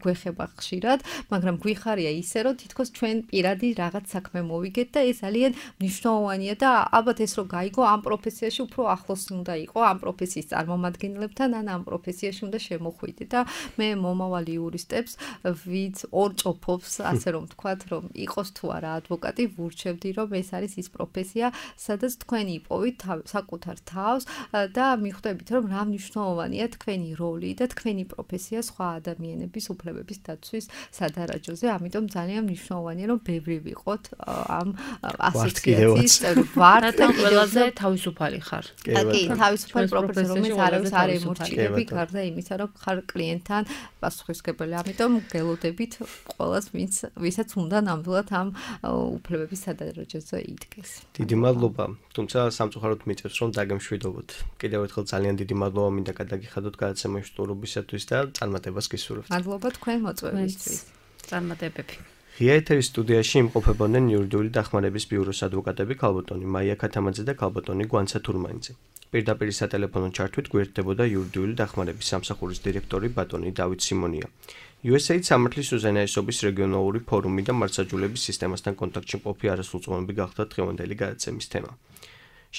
გვეხება ხშირად, მაგრამ გვიხარია ისე რომ თითქოს ჩვენ პირადი რაღაც საქმე მოვიგეთ და ეს ძალიან მნიშვნელოვანია და ალბათ ეს რომ გაიგო ამ პროფესიაში უფრო ახლოსი უნდა იყო ამ პროფესიის წარმომადგენლებთან ან ამ პროფესიაში უნდა შემოხვიდე და მე მომავალი იურისტებს ვიც ორჭოფობს ასე რომ ვთქვათ რომ იყოს თუ არა ადვოკატი ვურჩევდი რომ ეს არის ის პროფესია სადაც თქვენი იპოვით საკუთარ თავს და მიხვდებით რომ რა მნიშვნელოვანია თქვენი როლი და თქვენი პროფესია სხვა ადამიანების უფლებების დაცვის სადარაჯოზე ამიტომ ძალიან მნიშვნელოვანია რომ ბევრი ვიყოთ ამ ასოციაციის წევრი ვართ და ყველაზე თავისუფალი ხარ კი თავისუფალი პროფესია რომელიც არავის არ ემორჩილები გარდა იმისა რომ ხარ კლიენტთან პასუხისმგებელი ამიტომ გელოდებით ყველას ვინც ვისაც უნდა ნამდვილად ამ უფლებების სადარაჯოზე იდგეს დიდი მადლობა თუმცა სამწუხაროდ მიწევს რომ დაგემშვიდობოთ კიდევ ერთხელ ძალიან დიდი მადლობა მინდა გადაგიხადოთ გადაცემაში სტუმრობისათვის და წარმატებას გისურვებთ მადლობა თქვენ მოწვევისთვის წარმატებები ღია ეთერის სტუდიაში იმყოფებოდნენ იურიდიული დახმარების ბიუროს ადვოკატები ქალბატონი მაია ქათამაძე და ქალბატონი გვანცა თურმანიძე პირდაპირ სატელეფონო ჩართვით გვერდდებოდა იურიდიული დახმარების სამსახურის დირექტორი ბატონი დავით სიმონია იუ ეს ეიდ სამართლის უზენაესობის რეგიონალური ფორუმი და მართლმსაჯულების სისტემასთან კონტაქტში მყოფი არასრულწლოვანები გახდა დღევანდელი გადაცემის თემა.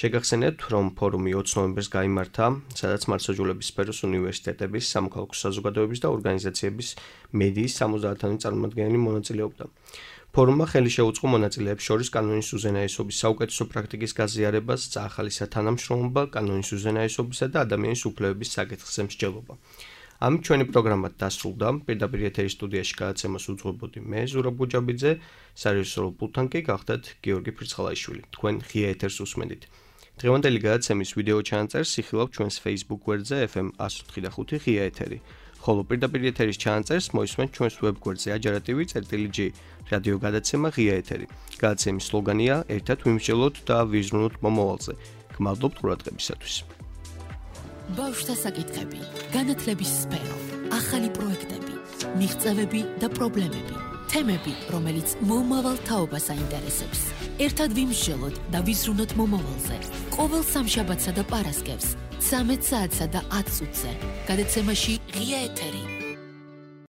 შეგახსენებთ, რომ ფორუმი ოცი ნოემბერს გაიმართა, სადაც მართლმსაჯულების სფეროს უნივერსიტეტების, სამოქალაქო საზოგადოებების და ორგანიზაციების მედიის სამოცდაათი წარმომადგენელი მონაწილეობდა. ფორუმმა ხელი შეუწყო მონაწილეებს შორის კანონის უზენაესობის საუკეთესო პრაქტიკის გაზიარებას, წაახალისა თანამშრომლობა, კანონის უზენაესობისა და ადამიანის უფლებების საკითხზე მსჯელობა. ამით ჩვენი პროგრამა დასრულდა. პირდაპირ ეთერის სტუდიაში გადაცემას უძღვებოდი მე, ზურაბ გუჯაბიძე, სარეჟისორო პულტთან კი გახდათ გიორგი ფრიცხალაიშვილი. თქვენ ღია ეთერს უსმენთ. დღევანდელი გადაცემის ვიდეო ჩანაწერს იხილავთ ჩვენს Facebook გვერდზე ეფ ემ εκατს ოთხი და ხუთი ღია ეთერი. ხოლო პირდაპირ ეთერის ჩანაწერს მოისმენთ ჩვენს ვებ გვერდზე აჯარა.tv წერტილი ჯი რადიო გადაცემა ღია ეთერი. გადაცემის სლოგანია ერთად ვიმსჯელოთ და ვიზრუნოთ მომავალზე. გმადლობთ ყურადღებისათვის. ბავშვთა საკითხები, განათლების სფერო, ახალი პროექტები, მიღწევები და პრობლემები, თემები, რომელიც მომავალ თაობას აინტერესებს. ერთად ვიმსჯელოთ და ვიზრუნოთ მომავალზე. ყოველ სამშაბათსა და პარასკევს, ცამეტ საათსა და ათ წუთზე. გადაცემაში ღია ეთერი.